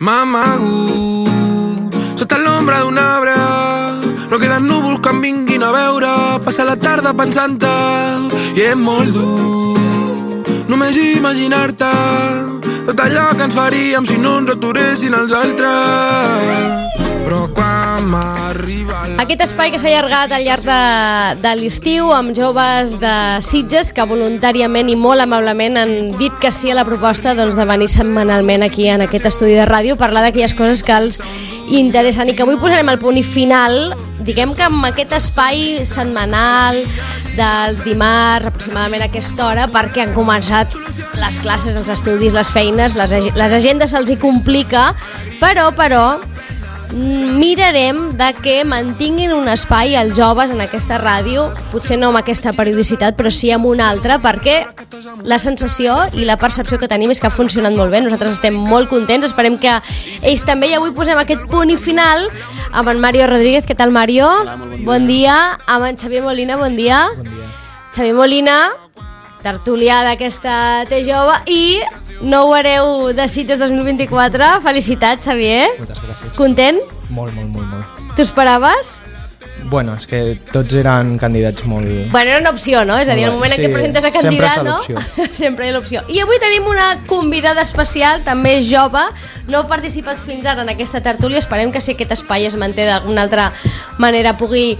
M'amago sota l'ombra d'un arbre, no queden núvols que em vinguin a veure. Passa la tarda pensant-te i és molt dur només imaginar-te tot allò que ens faríem si no ens aturessin els altres. Però quan m'arriba aquest espai que s'ha allargat al llarg de l'estiu amb joves de Sitges que voluntàriament i molt amablement han dit que sí a la proposta doncs, de venir setmanalment aquí en aquest estudi de ràdio, parlar d'aquelles coses que els interessen i que avui posarem el punt i final, diguem que amb aquest espai setmanal dels dimarts aproximadament a aquesta hora, perquè han començat les classes, els estudis, les feines, les agendes se'ls hi complica, però mirarem de que mantinguin un espai als joves en aquesta ràdio, potser no amb aquesta periodicitat, però sí amb una altra, perquè la sensació i la percepció que tenim és que ha funcionat molt bé. Nosaltres estem molt contents, esperem que ells també, i avui posem aquest punt i final amb en Mario Rodríguez. Què tal, Mario? Hola, molt bon dia. Amb en Xavier Molina, bon dia. Bon dia. Xavier Molina, tertulià d'aquesta T jove i nou hereu de Sitges 2024. Felicitats, Xavier. Moltes gràcies. Content? Molt. T'ho esperaves? Bueno, és que tots eren candidats molt... Bueno, era una opció, no? És a dir, el moment en què presentes a candidat, no? Sempre hi ha l'opció. I avui tenim una convidada especial, també jove, no ha participat fins ara en aquesta tertúlia, esperem que si aquest espai es manté d'alguna altra manera pugui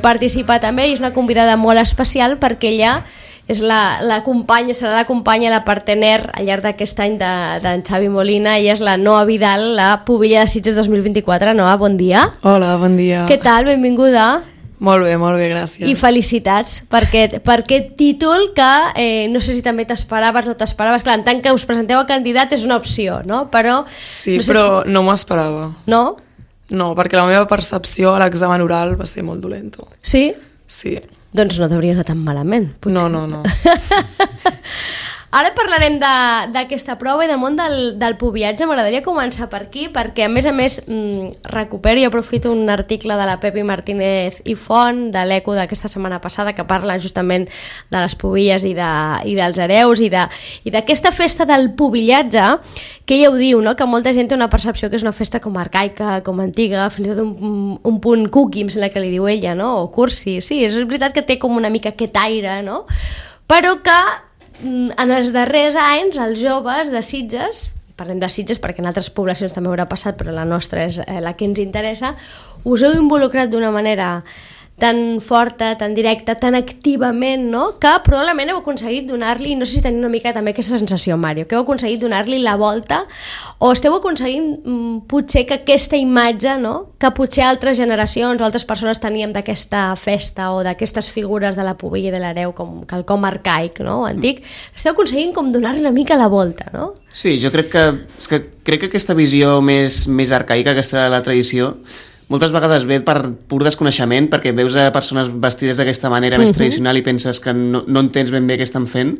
participar també, i és una convidada molt especial perquè ella és la companya, serà la companya, la partener al llarg d'aquest any d'en Xavi Molina. Ella és la Noa Vidal, la pubilla de Sitges 2024. Noa, bon dia. Hola, bon dia. Què tal? Benvinguda. Molt bé, gràcies. I felicitats per aquest títol que no sé si també t'esperaves, no t'esperaves. Clar, en tant que us presenteu a candidat és una opció, no? Però sí, no sé però no m'ho esperava. No? No, perquè la meva percepció a l'examen oral va ser molt dolenta. Sí? Sí. Doncs no t'hauria anat tan malament, potser. No. Ara parlarem d'aquesta prova i del món del pubillatge. M'agradaria començar per aquí, perquè a més recupero i aprofito un article de la Pepi Martínez i Font, de l'Eco d'aquesta setmana passada, que parla justament de les pubilles i dels hereus i d'aquesta festa del pubillatge, que ella ho diu, no? Que molta gent té una percepció que és una festa com arcaica, com antiga, fins i tot un punt cookie, em sembla que li diu ella, no? O cursi. Sí, és veritat que té com una mica aquest aire, no? Però que en els darrers anys els joves de Sitges, parlem de Sitges perquè en altres poblacions també haurà passat, però la nostra és la que ens interessa, us heu involucrat d'una manera tan forta, tan directa, tan activament, no? Que probablement heu aconseguit donar-li, no sé si teniu una mica també aquesta sensació, Mario, que heu aconseguit donar-li la volta, o esteu aconseguint potser que aquesta imatge, no? Que potser altres generacions o altres persones teníem d'aquesta festa o d'aquestes figures de la pubilla i de l'hereu com quelcom arcaic, no? Antic, esteu aconseguint com donar-li una mica la volta, no? Sí, jo crec que aquesta visió més arcaica, aquesta de la tradició, moltes vegades ve per pur desconeixement, perquè veus a persones vestides d'aquesta manera més tradicional i penses que no entens ben bé què estan fent,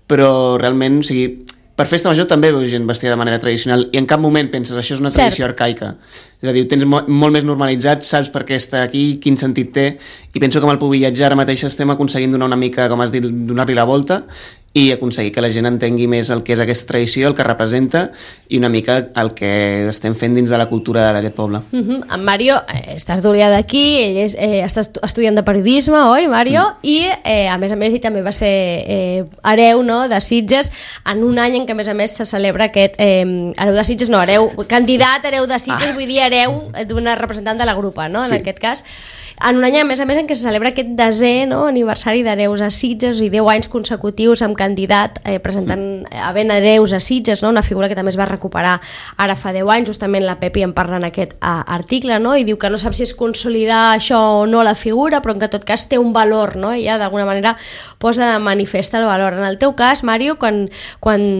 però realment, o sigui, per festa major també veus gent vestida de manera tradicional i en cap moment penses això és una tradició arcaica. És a dir, ho tens molt més normalitzat, saps per què està aquí, quin sentit té, i penso que amb el pubillatge ara mateix estem aconseguint donar una mica, com has dit, donar-li la volta i aconseguir que la gent entengui més el que és aquesta tradició, el que representa i una mica el que estem fent dins de la cultura d'aquest poble. En Mario està estudiant d'aquí, ell està estudiant de periodisme, oi, Mario? I a més ell també va ser hereu, no?, de Sitges, en un any en què a més se celebra aquest hereu de Sitges, no, candidat hereu de Sitges, vull dir hereu d'una representant de la grupa, no?, en aquest cas. En un any, a més en què se celebra aquest 10è, no?, aniversari d'hereus a Sitges i 10 anys consecutius amb candidat presentant havent hereus a Sitges, no?, una figura que també es va recuperar ara fa 10 anys, justament la Pepi en parla en aquest article, no?, i diu que no sap si és consolidar això o no la figura, però en que en tot cas té un valor, no?, i ja d'alguna manera posa de manifest el valor. En el teu cas, Mario, quan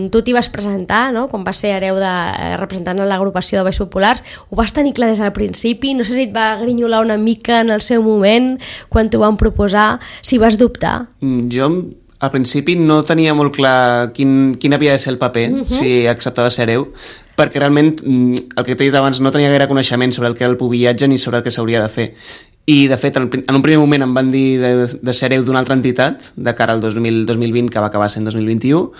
tu t'hi vas presentar, no?, quan vas ser hereu representant l'agrupació de Balls Populars, ho vas tenir clar des del principi? No sé si et va grinyolar una mica en el seu moment, quan t'ho van proposar, si vas dubtar? Jo al principi no tenia molt clar quin havia de ser el paper, si acceptava ser hereu, perquè realment, el que t'he dit abans, no tenia gaire coneixement sobre el que era el pubillatge ni sobre el que s'hauria de fer. I, de fet, en un primer moment em van dir de ser hereu d'una altra entitat, de cara al 2020, que va acabar sent 2021,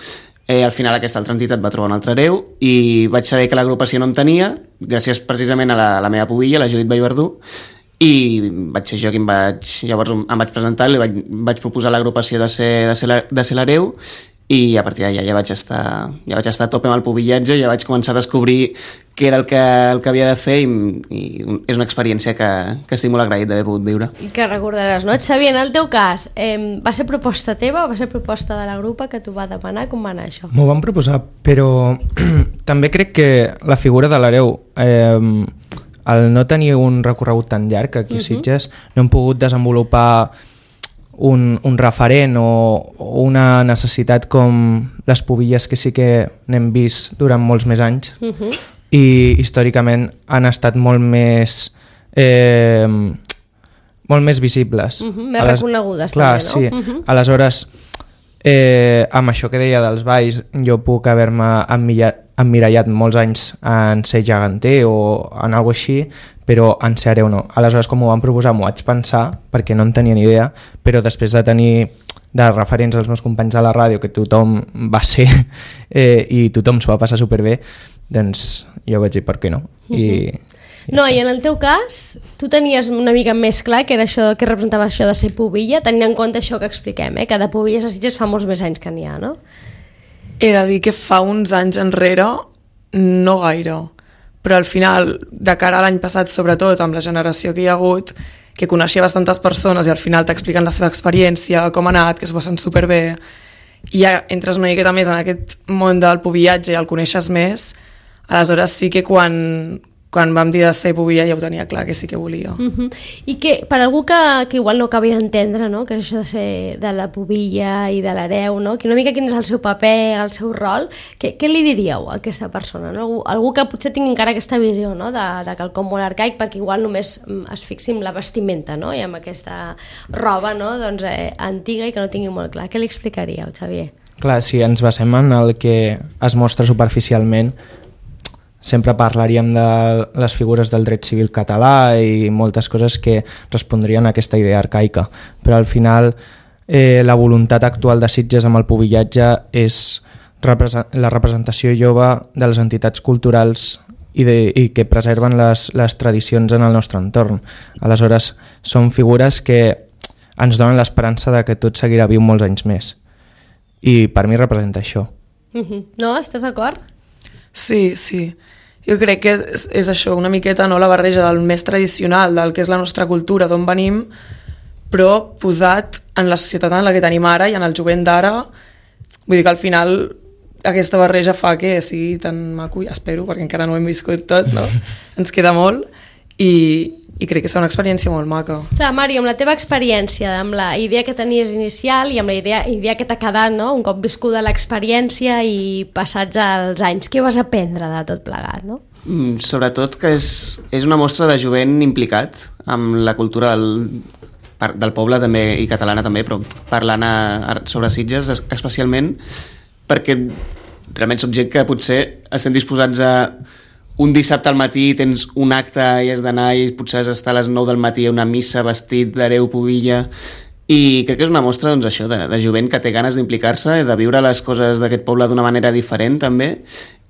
Al final aquesta altra entitat va trobar un altre hereu i vaig saber que l'agrupació no en tenia, gràcies precisament a la meva pubilla, la Judit Vallverdú, i vaig ser jo qui llavors em vaig presentar i vaig proposar l'agrupació de ser l'hereu, i a partir d'allà ja vaig estar a tope amb el pubillatge, ja vaig començar a descobrir què era el que havia de fer, i és una experiència que estic molt agraït d'haver pogut viure. I que recordaràs, no? Xavier, en el teu cas, va ser proposta teva o va ser proposta de la grupa que t'ho va demanar? Com va anar això? M'ho van proposar, però també crec que la figura de l'hereu, al no tenir un recorregut tan llarg aquí a Sitges, no hem pogut desenvolupar un referent o una necessitat com les pubilles que sí que n'hem vist durant molts més anys i històricament han estat molt més visibles. Més reconegudes clar, també, no? Sí. Aleshores, amb això que deia dels balls, jo puc haver-me emmirallat molts anys en ser geganter o en alguna així, però en ser hereu no. Aleshores, com ho van proposar, m'ho vaig pensar, perquè no en tenia ni idea, però després de tenir de referents als meus companys de la ràdio, que tothom va ser i tothom s'ho va passar superbé, doncs jo vaig dir per què no. I en el teu cas, tu tenies una mica més clar que era això, que representava això de ser pubilla, tenint en compte això que expliquem, que de pubilles a Sitges fa molts més anys que n'hi ha, no? He de dir que fa uns anys enrere no gaire, però al final, de cara a l'any passat, sobretot amb la generació que hi ha hagut, que coneixia bastantes persones i al final t'expliquen la seva experiència, com ha anat, que s'ho passen superbé, i ja entres una miqueta més en aquest món del pubillatge i el coneixes més, aleshores sí que quan vam dir de ser pubilla ja ho tenia clar que sí que volia. I que per algú que igual no acabi d'entendre, no? Que és això de ser de la pubilla i de l'hereu, no? Que una mica quin és el seu paper, el seu rol, què li diríeu a aquesta persona? No? Algú que potser tingui encara aquesta visió, no? de quelcom molt arcaic, perquè igual només es fixi en la vestimenta, no? I amb aquesta roba, no? Doncs, antiga i que no tingui molt clar. Què li explicaríeu, Xavier? clar, si ens basem en el que es mostra superficialment, sempre parlaríem de les figures del dret civil català i moltes coses que respondrien a aquesta idea arcaica, però al final la voluntat actual de Sitges amb el pubillatge és la representació jove de les entitats culturals i que preserven les tradicions en el nostre entorn. Aleshores, són figures que ens donen l'esperança de que tot seguirà viu molts anys més. I per mi representa això. No? Estàs d'acord? Sí, sí. Jo crec que és això, una miqueta, no, la barreja del més tradicional, del que és la nostra cultura, d'on venim, però posat en la societat en la que tenim ara i en el jovent d'ara. Vull dir que al final aquesta barreja fa que sigui tan maco, espero, perquè encara no ho hem viscut tot, no? Ens queda molt i crec que serà una experiència molt maca. Clar, Mari, amb la teva experiència, amb la idea que tenies inicial i amb la idea que t'ha quedat, no? Un cop viscuda l'experiència i passats els anys, què vas aprendre de tot plegat, no? Sobretot que és una mostra de jovent implicat amb la cultura del poble també i catalana també, però parlant sobre Sitges especialment, perquè realment som gent que potser estem disposats a un dissabte al matí tens un acte i has d'anar i potser has d'estar a les 9 del matí a una missa vestit d'hereu pubilla, i crec que és una mostra doncs, això de jovent que té ganes d'implicar-se, de viure les coses d'aquest poble d'una manera diferent també,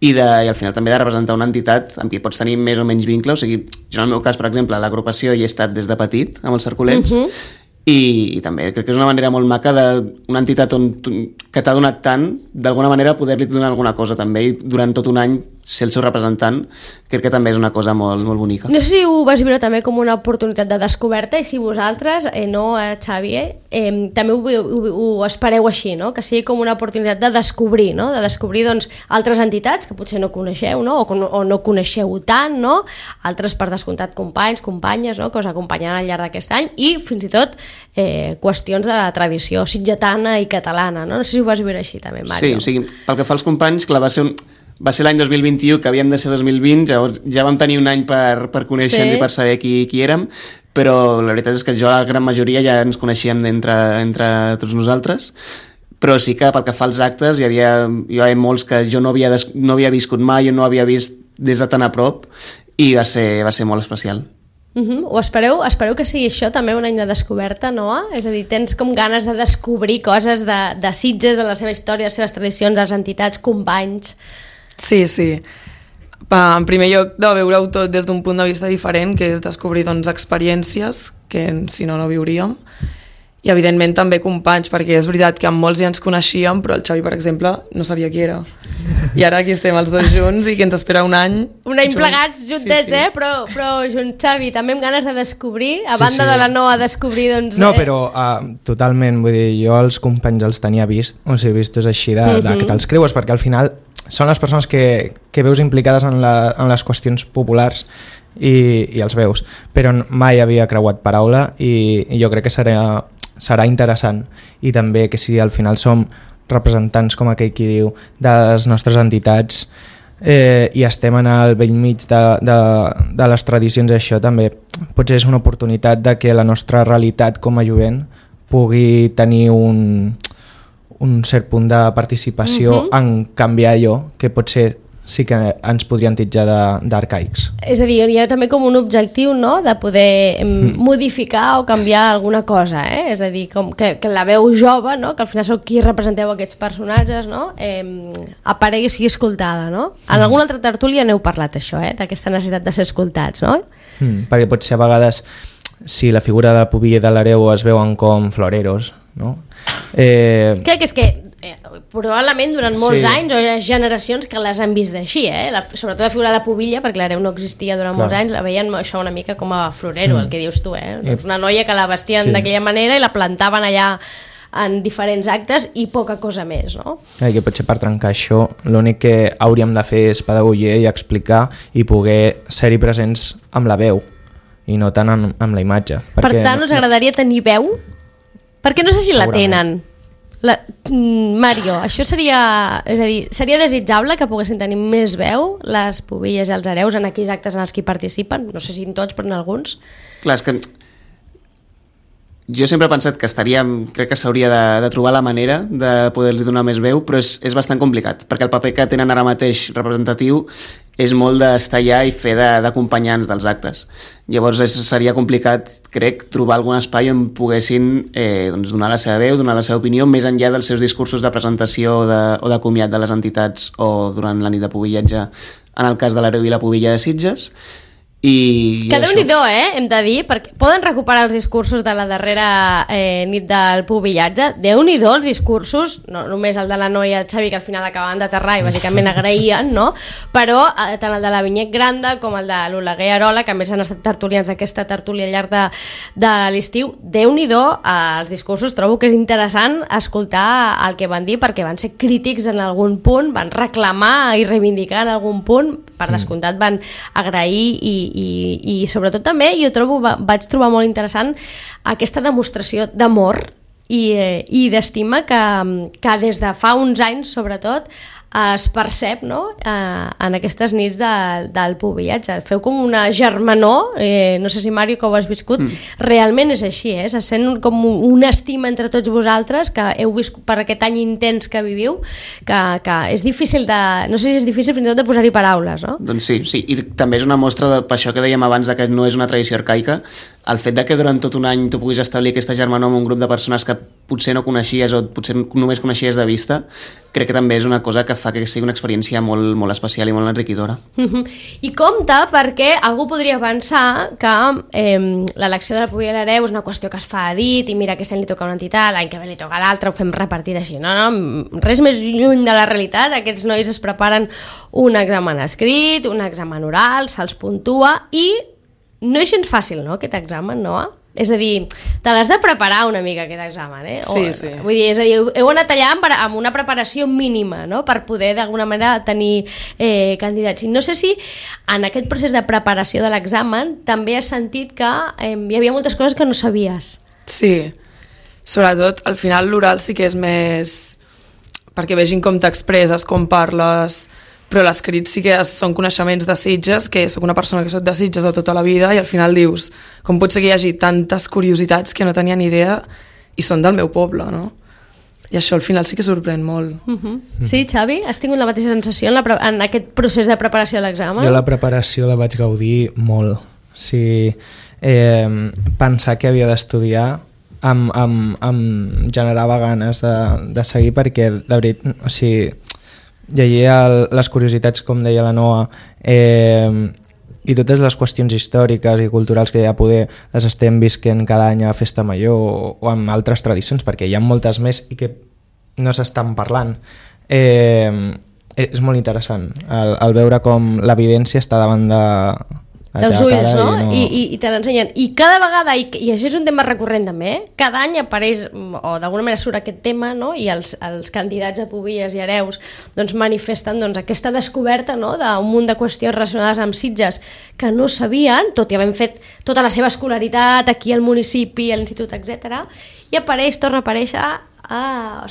i al final també de representar una entitat amb qui pots tenir més o menys vincle. O sigui, jo en el meu cas, per exemple, a l'agrupació hi he estat des de petit amb els Cercolets, i també crec que és una manera molt maca d'una entitat que t'ha donat tant, d'alguna manera poder-li donar alguna cosa també, i durant tot un any ser el seu representant, crec que també és una cosa molt, molt bonica. No sé si ho vas viure també com una oportunitat de descoberta, i si vosaltres, no, Xavier, també ho espereu així, no? Que sigui com una oportunitat de descobrir, no? De descobrir doncs, altres entitats que potser no coneixeu, no? O no coneixeu tant, no? Altres, per descomptat, companys, companyes, no? Que us acompanyaran al llarg d'aquest any, i fins i tot qüestions de la tradició sitgetana i catalana, no? No sé si ho vas viure així també, Mario. Sí, o sigui, pel que fa als companys, clar, va ser l'any 2021, que havíem de ser 2020, llavors ja vam tenir un any per conèixer-nos i per saber qui érem, però la veritat és que jo, la gran majoria, ja ens coneixíem entre tots nosaltres, però sí que pel que fa als actes hi havia molts que jo no havia viscut mai, jo no havia vist des de tan a prop, i va ser molt especial. O espereu que sigui això també un any de descoberta, Noa? És a dir, tens com ganes de descobrir coses de Sitges, de la seva història, les seves tradicions, de les entitats, companys... Sí. En primer lloc, de veure-ho tot des d'un punt de vista diferent, que és descobrir experiències que si no viuríem. I evidentment també companys, perquè és veritat que amb molts ja ens coneixíem, però el Xavi, per exemple, no sabia qui era. I ara aquí estem els dos junts i que ens espera un any. Un any plegats, juntets, sí. Però junts, Xavi, també amb ganes de descobrir, a banda de la Noa descobrir, doncs... No, però totalment, vull dir, jo els companys els tenia vistos així de que te'ls creues, perquè al final són les persones que veus implicades en les qüestions populars i els veus, però mai havia creuat paraula i jo crec que serà interessant, i també que si al final som representants, com aquell qui diu, de les nostres entitats i estem en el bell mig de les tradicions, això també potser és una oportunitat de que la nostra realitat com a jovent pugui tenir un cert punt de participació en canviar allò que potser sí que ens podrien titjar d'arcaics. És a dir, hi ha també com un objectiu, no?, de poder modificar o canviar alguna cosa, És a dir, com que la veu jove, no?, que al final sou qui representeu aquests personatges, no?, aparegui i sigui escoltada, no? En alguna altra tertúlia n'heu parlat, això, d'aquesta necessitat de ser escoltats, no? Perquè potser a vegades, si la figura de la Pubilla i de l'Hereu es veuen com floreros, no? Crec que és que probablement durant molts anys o hi ha generacions que les han vist així, sobretot la figura de la Pubilla, perquè l'Hereu no existia durant molts anys, la veien això una mica com a florero, el que dius tu, doncs una noia que la vestien d'aquella manera i la plantaven allà en diferents actes i poca cosa més, no? Que potser per trencar això l'únic que hauríem de fer és pedagogia i explicar i poder ser-hi presents amb la veu i no tant amb la imatge. Per tant, us agradaria tenir veu? Perquè no sé si la tenen. Mario, això seria... És a dir, seria desitjable que poguessin tenir més veu les Pubilles i els Hereus en aquells actes en els que participen? No sé si en tots, però en alguns. Clar, és que jo sempre he pensat que crec que s'hauria de trobar la manera de poder-li donar més veu, però és bastant complicat, perquè el paper que tenen ara mateix representatiu és molt d'estar allà i fer d'acompanyants dels actes. Llavors seria complicat, crec, trobar algun espai on poguessin donar la seva veu, donar la seva opinió, més enllà dels seus discursos de presentació o de comiat de les entitats o durant la nit de pubillatge, en el cas de l'Hereu i la Pubilla de Sitges. Que Déu-n'hi-do, hem de dir, perquè poden recuperar els discursos de la darrera nit del pubillatge. Déu-n'hi-do els discursos, no només el de la Noa i el Xavi, que al final acabaven d'aterrar i bàsicament agraïen, no? Però tant el de la Vinyet Granda com el de l'Oleguer Arola, que a més han estat tertulians d'aquesta tertúlia al llarg de l'estiu, Déu-n'hi-do els discursos. Trobo que és interessant escoltar el que van dir, perquè van ser crítics en algun punt, van reclamar i reivindicar en algun punt, per descomptat van agrair i sobretot també vaig trobar molt interessant aquesta demostració d'amor i d'estima que des de fa uns anys sobretot es percep, no?, en aquestes nits del pubillatge. Feu com una germanor, no sé si Mario que ho has viscut, realment és així, se sent com una estima entre tots vosaltres que heu viscut per aquest any intens que viviu, que és difícil no sé si és difícil fins i tot de posar-hi paraules, no? Doncs sí, i també és una mostra per això que dèiem abans que no és una tradició arcaica, el fet de que durant tot un any tu puguis establir aquesta germanor amb un grup de persones que potser no coneixies o potser només coneixies de vista, crec que també és una cosa que fa que sigui una experiència molt, molt especial i molt enriquidora. I compte, perquè algú podria pensar que l'elecció de la Pubilla i l'Hereu és una qüestió que es fa a dit i mira, aquest any li toca una entitat, l'any que ve li toca a l'altra, ho fem repartit així. No, res més lluny de la realitat. Aquests nois es preparen un examen escrit, un examen oral, se'ls puntua i no és gens fàcil, no?, aquest examen, no? És a dir, te l'has de preparar una mica aquest examen, Sí. Vull dir, és a dir, heu anat allà amb una preparació mínima, no?, per poder d'alguna manera tenir candidats. I no sé si en aquest procés de preparació de l'examen també has sentit que hi havia moltes coses que no sabies. Sí, sobretot al final l'oral sí que és més perquè vegin com t'expresses, com parles, però l'escrit sí que són coneixements de Sitges, que sóc una persona que soc de Sitges de tota la vida i al final dius, com pot ser que hi hagi tantes curiositats que no tenia ni idea i són del meu poble, no? I això al final sí que sorprèn molt. Sí, Xavi? Has tingut la mateixa sensació en aquest procés de preparació de l'examen? Jo la preparació la vaig gaudir molt. Si pensar que havia d'estudiar em generava ganes de seguir, perquè de veritat, o sigui, llegia les curiositats, com deia la Noa, i totes les qüestions històriques i culturals que ja poder les estem visquent cada any a Festa Major o amb altres tradicions, perquè hi ha moltes més i que no s'estan parlant. És molt interessant el veure com l'evidència està davant dels ulls, no? I te l'ensenyen. I cada vegada, i això és un tema recurrent també, cada any apareix, o d'alguna manera surt aquest tema, no? I els candidats a Pubilles i Hereus doncs manifesten aquesta descoberta, no? D'un munt de qüestions relacionades amb Sitges que no sabien, tot i havent fet tota la seva escolaritat aquí al municipi, a l'institut, etc. I torna a aparèixer,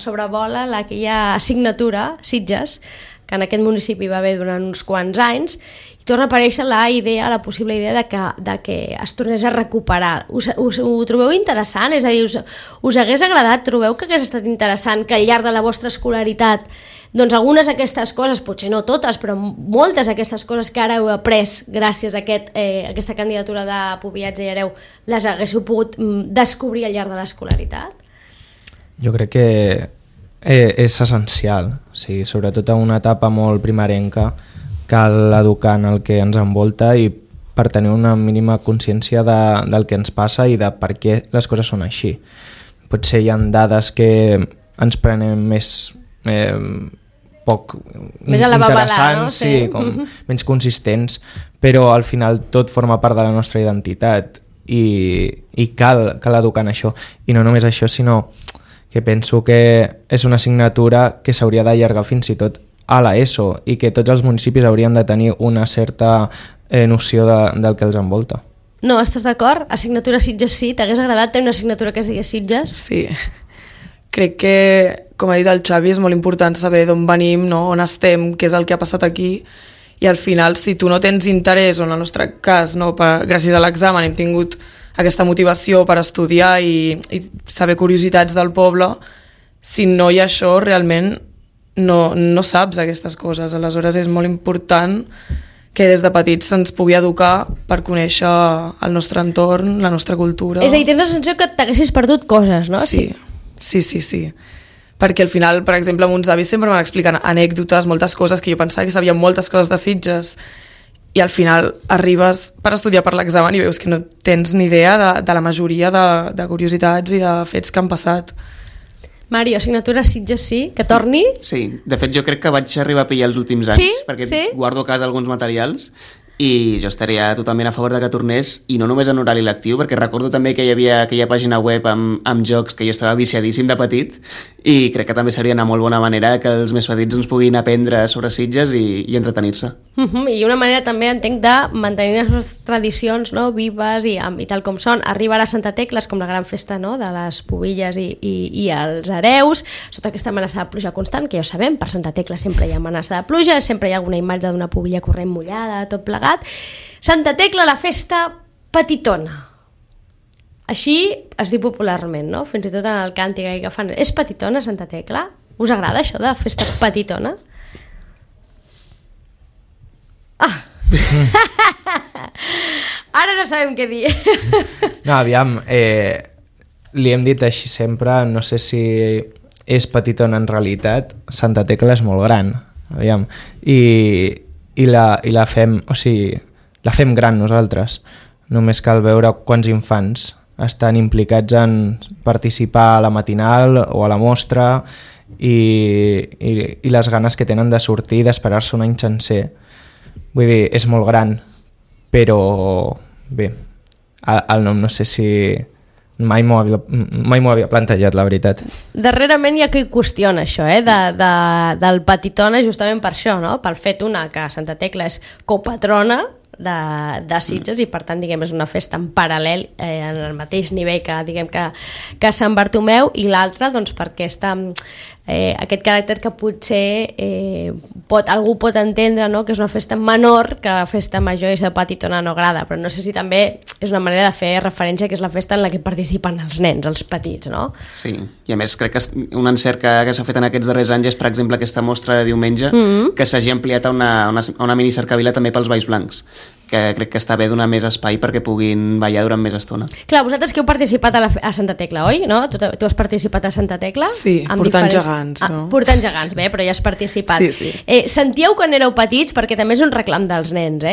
sobrevola aquella assignatura Sitges, que en aquest municipi va haver durant uns quants anys, i torna a aparèixer la possible idea de que es tornés a recuperar. Ho trobeu interessant? És a dir, us hagués agradat? Trobeu que hagués estat interessant que al llarg de la vostra escolaritat doncs algunes d'aquestes coses, potser no totes, però moltes d'aquestes coses que ara heu après gràcies a aquesta candidatura de Pubillatge i Hereu, les haguéssiu pogut descobrir al llarg de l'escolaritat? Jo crec que és essencial, sí, sobretot a una etapa molt primerenca cal educar en el que ens envolta i per tenir una mínima consciència del que ens passa i de per què les coses són així. Potser hi ha dades que ens prenem més poc més a la babalà, no? Sí, com menys consistents, però al final tot forma part de la nostra identitat i cal educar en això. I no només això, sinó que penso que és una assignatura que s'hauria d'allargar fins i tot a l'ESO i que tots els municipis haurien de tenir una certa noció del que els envolta. No, estàs d'acord? Assignatura Sitges sí? T'hagués agradat tenir una assignatura que es digués Sitges? Sí. Crec que, com ha dit el Xavi, és molt important saber d'on venim, no? On estem, què és el que ha passat aquí, i al final, si tu no tens interès, o en el nostre cas, no, gràcies a l'examen hem tingut aquesta motivació per estudiar i saber curiositats del poble, si no hi ha això, realment no saps aquestes coses. Aleshores és molt important que des de petits se'ns pugui educar per conèixer el nostre entorn, la nostra cultura. És a dir, tens la sensació que t'haguessis perdut coses, no? Sí. Perquè al final, per exemple, amb uns avis sempre m'han explicat anècdotes, moltes coses que jo pensava que sabia moltes coses de Sitges, i al final arribes per estudiar per l'examen i veus que no tens ni idea de la majoria de curiositats i de fets que han passat. Mario, assignatura Sitges sí? Que torni? Sí, de fet jo crec que vaig arribar a pillar els últims anys, perquè guardo a casa alguns materials i jo estaria totalment a favor de que tornés, i no només en horari lectiu, perquè recordo també que hi havia aquella pàgina web amb jocs que jo estava viciadíssim de petit, i crec que també seria una molt bona manera que els més petits ens puguin aprendre sobre Sitges i entretenir-se. I una manera també, entenc, de mantenir les nostres tradicions, no, vives i tal com són. Arriba a Santa Tecla, com la gran festa, no, de les Pubilles i els Hereus, sota aquesta amenaça de pluja constant, que ja ho sabem, per Santa Tecla sempre hi ha amenaça de pluja, sempre hi ha alguna imatge d'una pubilla corrent mullada, tot plegat. Santa Tecla, la festa petitona. Així es diu popularment, no? Fins i tot en el càntic que fan. És petitona Santa Tecla? Us agrada això de festa petitona? Ara no sabem què dir. No, aviam, li hem dit així sempre, no sé si és petitona en realitat. Santa Tecla és molt gran, aviam, i la fem, o sigui, la fem gran nosaltres. Només cal veure quants infants estan implicats en participar a la matinal o a la mostra i les ganes que tenen de sortir i d'esperar-se un any sencer. Vull dir, és molt gran, però bé, el nom no sé si mai m'ho havia plantejat, la veritat. Darrerament hi ha qui qüestiona això, del petitona, justament per això, no? Pel fet que Santa Tecla és copatrona de Sitges i per tant diguem és una festa en paral·lel en el mateix nivell que Sant Bartomeu, i l'altra doncs perquè aquest caràcter que potser algú pot entendre, no? Que és una festa menor que la festa major i de petitona no agrada, però no sé si també és una manera de fer referència que és la festa en la que participen els nens, els petits, no? Sí, i a més crec que un encert que s'ha fet en aquests darrers anys és, per exemple, aquesta mostra de diumenge que s'hagi ampliat a una mini cercavila també pels Valls Blancs, que crec que està bé donar més espai perquè puguin ballar durant més estona. Clar, vosaltres que heu participat a Santa Tecla, oi? No? Tu has participat a Santa Tecla? Sí, portant gegants. No? Portant gegants, bé, però ja has participat. Sí. Sentíeu quan éreu petits, perquè també és un reclam dels nens,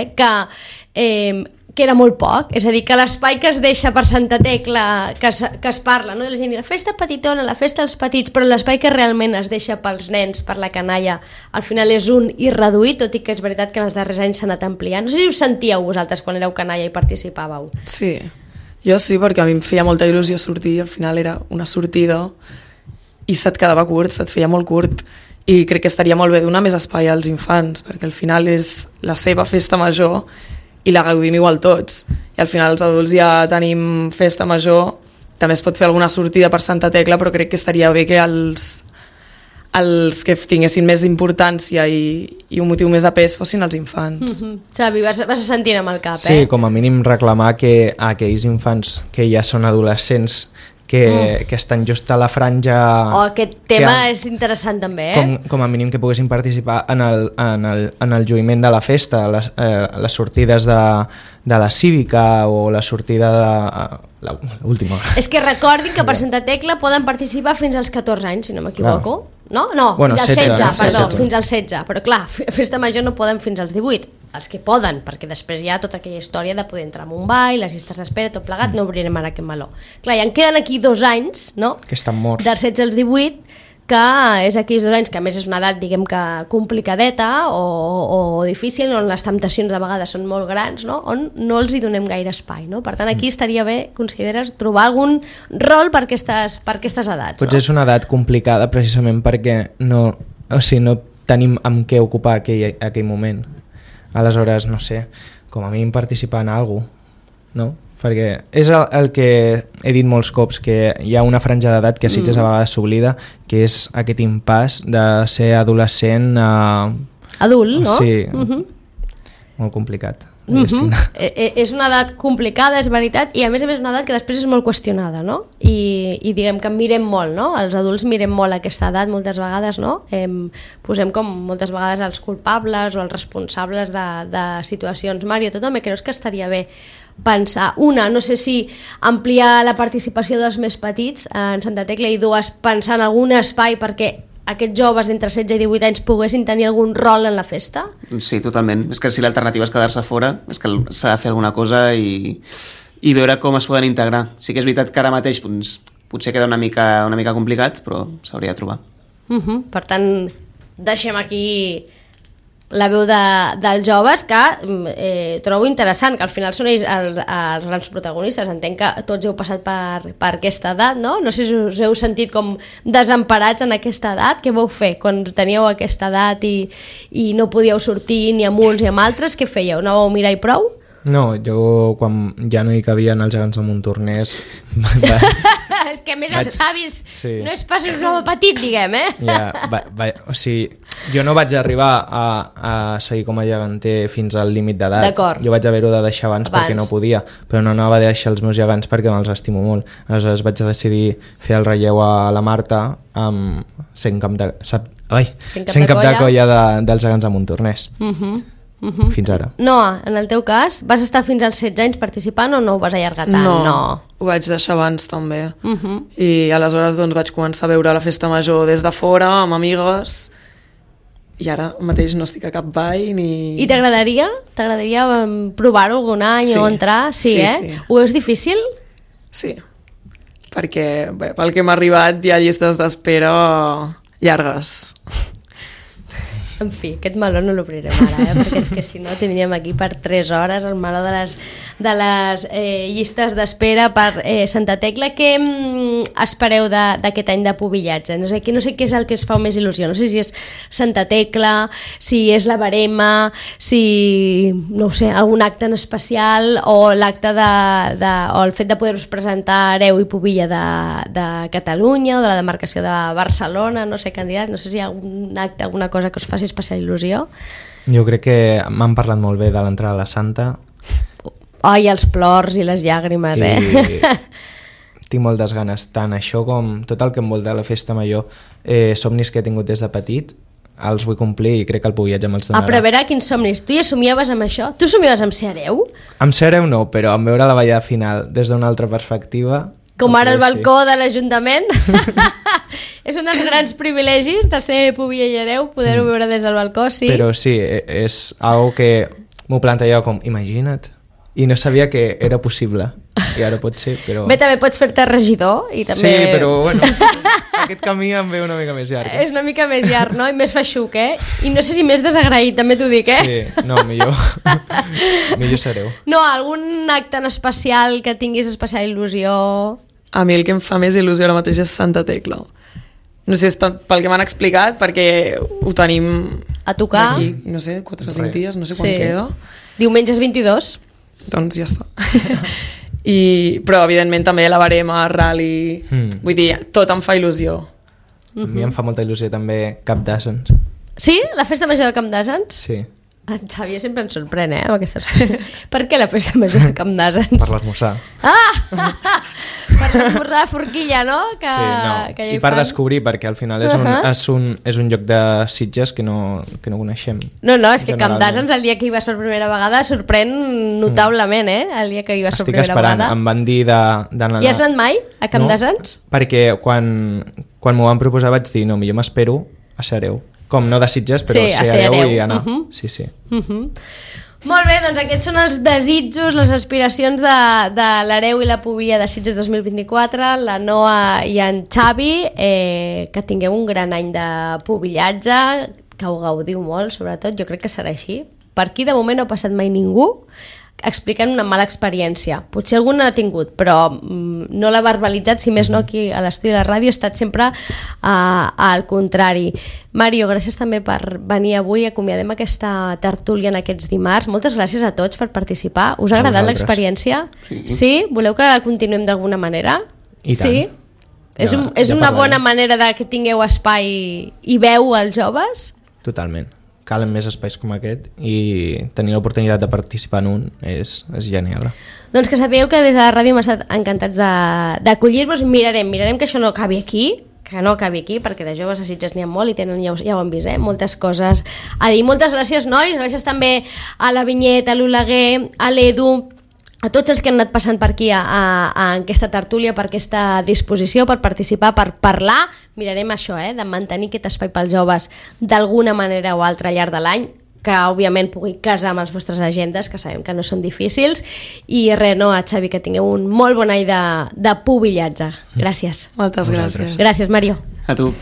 que era molt poc, és a dir, que l'espai que es deixa per Santa Tecla, que es parla, no? I la gent diu, la festa petitona, la festa dels petits, però l'espai que realment es deixa pels nens, per la canalla, al final és un i reduït, tot i que és veritat que en els darrers anys s'ha anat ampliant. No sé si us sentíeu vosaltres quan éreu canalla i participàveu. Sí, jo sí, perquè a mi em feia molta il·lusió sortir, al final era una sortida i se't quedava curt, se't feia molt curt, i crec que estaria molt bé donar més espai als infants, perquè al final és la seva festa major i la gaudim igual tots. I al final els adults ja tenim festa major, també es pot fer alguna sortida per Santa Tecla, però crec que estaria bé que els que tinguessin més importància i un motiu més de pes fossin els infants. Xavi, vas sentint amb el cap, Sí, com a mínim reclamar que aquells infants que ja són adolescents que estan just a la franja... Aquest tema és interessant també, Com a mínim que poguessin participar en el lluïment de la festa, les sortides de la cívica o la sortida de l'última. És que recordin que per Santa Tecla poden participar fins als 14 anys, si no m'equivoco. No? Bueno, fins als 16, perdó, 16. fins als 16. Però clar, festa major no poden fins als 18. Els que poden, perquè després hi ha tota aquella història de poder entrar en un ball, les llistes d'espera, tot plegat, no obrirem ara aquest meló. Clar, i en queden aquí 2 anys, no? Que estan morts. Dels 16 als 18, que és aquells 2 anys, que a més és una edat, diguem que complicadeta o difícil, on les temptacions de vegades són molt grans, no? On no els hi donem gaire espai, no? Per tant, aquí estaria bé, consideres, trobar algun rol per aquestes edats. Potser és una edat complicada precisament perquè no tenim amb què ocupar aquell moment. Aleshores, no sé, com a mínim participar en alguna cosa, no? Perquè és el que he dit molts cops, que hi ha una franja d'edat que a Sitges a vegades s'oblida, que és aquest impàs de ser adolescent a... Adult, no? Sí, molt complicat. És una edat complicada, és veritat, i a més una edat que després és molt qüestionada, no? I diguem que mirem molt, no? Els adults mirem molt aquesta edat moltes vegades, no? Posem com moltes vegades els culpables o els responsables de situacions. Mario, tu també creus que estaria bé pensar, no sé si ampliar la participació dels més petits en Santa Tecla, i 2, pensar en algun espai perquè aquests joves entre 16 i 18 anys poguessin tenir algun rol en la festa? Sí, totalment. És que si l'alternativa és quedar-se fora, és que s'ha de fer alguna cosa i veure com es poden integrar. Sí que és veritat que ara mateix potser queda una mica complicat, però s'hauria de trobar. Per tant, deixem aquí la veu dels joves, que trobo interessant, que al final són ells els grans protagonistes. Entenc que tots heu passat per aquesta edat, no? No sé si us heu sentit com desemparats en aquesta edat. Què vau fer quan teníeu aquesta edat i no podíeu sortir ni amb uns ni amb altres? Què fèieu? No vau mirar i prou? No, jo quan ja no hi cabien els gegants de Montornès és que a més els avis no és pas un home petit, diguem, o sigui, jo no vaig arribar a seguir com a geganter fins al límit d'edat. Jo vaig haver-ho de deixar abans perquè no podia, però no anava a deixar els meus gegants perquè me'ls estimo molt. Aleshores vaig decidir fer el relleu a la Marta sent cap de colla dels gegants de Montornès. Fins ara. Noa, en el teu cas, vas estar fins als 16 anys participant o no ho vas allargar tant? No, ho vaig deixar abans també. I aleshores vaig començar a veure la festa major des de fora, amb amigues, i ara mateix no estic a cap ball ni... I t'agradaria? T'agradaria provar-ho algun any o entrar? Sí. Ho veus difícil? Sí, perquè pel que m'ha arribat hi ha llistes d'espera llargues. En fi, aquest meló no l'obrirem ara, perquè és que si no tindríem aquí per 3 hores el meló de les llistes d'espera per Santa Tecla. Què espereu d'aquest any de pubillatge? No sé què és el que es fa més il·lusió, no sé si és Santa Tecla, si és la barema, si, no ho sé, algun acte en especial, o l'acte o el fet de poder-vos presentar hereu i pubilla de Catalunya o de la demarcació de Barcelona, no sé, candidat, no sé si hi ha algun acte, alguna cosa que us faci especial il·lusió. Jo crec que m'han parlat molt bé de l'entrada a la Santa. Ai, els plors i les llàgrimes, Tinc moltes ganes, tant això com tot el que envolta la festa major, somnis que he tingut des de petit, els vull complir i crec que el Pubillatge me'ls donarà. Però a veure, quins somnis. Tu ja somiaves amb això? Tu somiaves amb ser hereu? Amb ser hereu no, però amb veure la ballada final des d'una altra perspectiva... Com ara el sí. balcó de l'Ajuntament. És un dels grans privilegis de ser pubilla i hereu, poder-ho veure des del balcó, sí. Però sí, és algo que m'ho plantejava com, imagina't, i no sabia que era possible, i ara pot ser, però... Bé, també pots fer-te regidor i també... Sí, però bueno, aquest camí em ve una mica més llarg. És una mica més llarg, no? I més feixuc, I no sé si més desagraït, també t'ho dic, Sí, no, millor. Millor sereu. No, algun acte en especial que tinguis especial il·lusió... A mi el que em fa més il·lusió ara mateix és Santa Tecla. No sé, és pel que m'han explicat, perquè ho tenim... A tocar. D'aquí, no sé, 4 o 5 dies, no sé quan queda. Diumenges 22. Doncs ja està. Però evidentment també la barema, rally... Vull dir, tot em fa il·lusió. A mi em fa molta il·lusió també Cap d'Àssens. Sí? La festa major de Camp d'Àssens? Sí. En Xavier sempre ens sorprèn, amb aquestes coses. Per què la festa major de Camp d'Àssens? Per l'esmorzar. Per l'esmorzar de forquilla, no? Que ja I per descobrir, perquè al final és un lloc de Sitges que no coneixem. No, és que Camp d'Àssens el dia que hi vas per primera vegada sorprèn notablement, el dia que hi vas per primera vegada. Estic esperant, em van dir d'anar... I has anat mai a Camp d'Àssens? Perquè quan m'ho van proposar vaig dir, no, millor m'espero a ser hereu. Com no de Sitges, però ser hereu i anar. Sí. Molt bé, doncs aquests són els desitjos, les aspiracions de l'hereu i la pubilla de Sitges 2024, la Noa i en Xavi, que tingueu un gran any de pubillatge, que ho gaudiu molt, sobretot, jo crec que serà així. Per aquí de moment no ha passat mai ningú explicant una mala experiència. Potser algú n'ha tingut, però no l'ha verbalitzat, si més no aquí a l'estudi de la ràdio, ha estat sempre al contrari. Mario, gràcies també per venir avui, acomiadem aquesta tertúlia en aquests dimarts. Moltes gràcies a tots per participar. Us ha agradat l'experiència? Sí? Voleu que la continuem d'alguna manera? I tant. Sí? És una bona manera de que tingueu espai i veu als joves? Totalment. Calen més espais com aquest i tenir l'oportunitat de participar en un és genial. Doncs que sapigueu que des de la ràdio hem estat encantats d'acollir-vos. Mirarem que això no acabi aquí, perquè de joves a Sitges n'hi ha molt i tenen, ja ho han vist, moltes coses a dir. Moltes gràcies, nois, gràcies també a la Vinyet, a l'Oleguer, a l'Edu, a tots els que han anat passant per aquí a aquesta tertúlia, per aquesta disposició, per participar, per parlar. Mirarem això, de mantenir aquest espai pels joves d'alguna manera o altra al llarg de l'any, que òbviament pugui casar amb les vostres agendes, que sabem que no són difícils. I res, a Xavi, que tingueu un molt bon any de pubillatge. Gràcies. Moltes gràcies. Gràcies, Mario. A tu.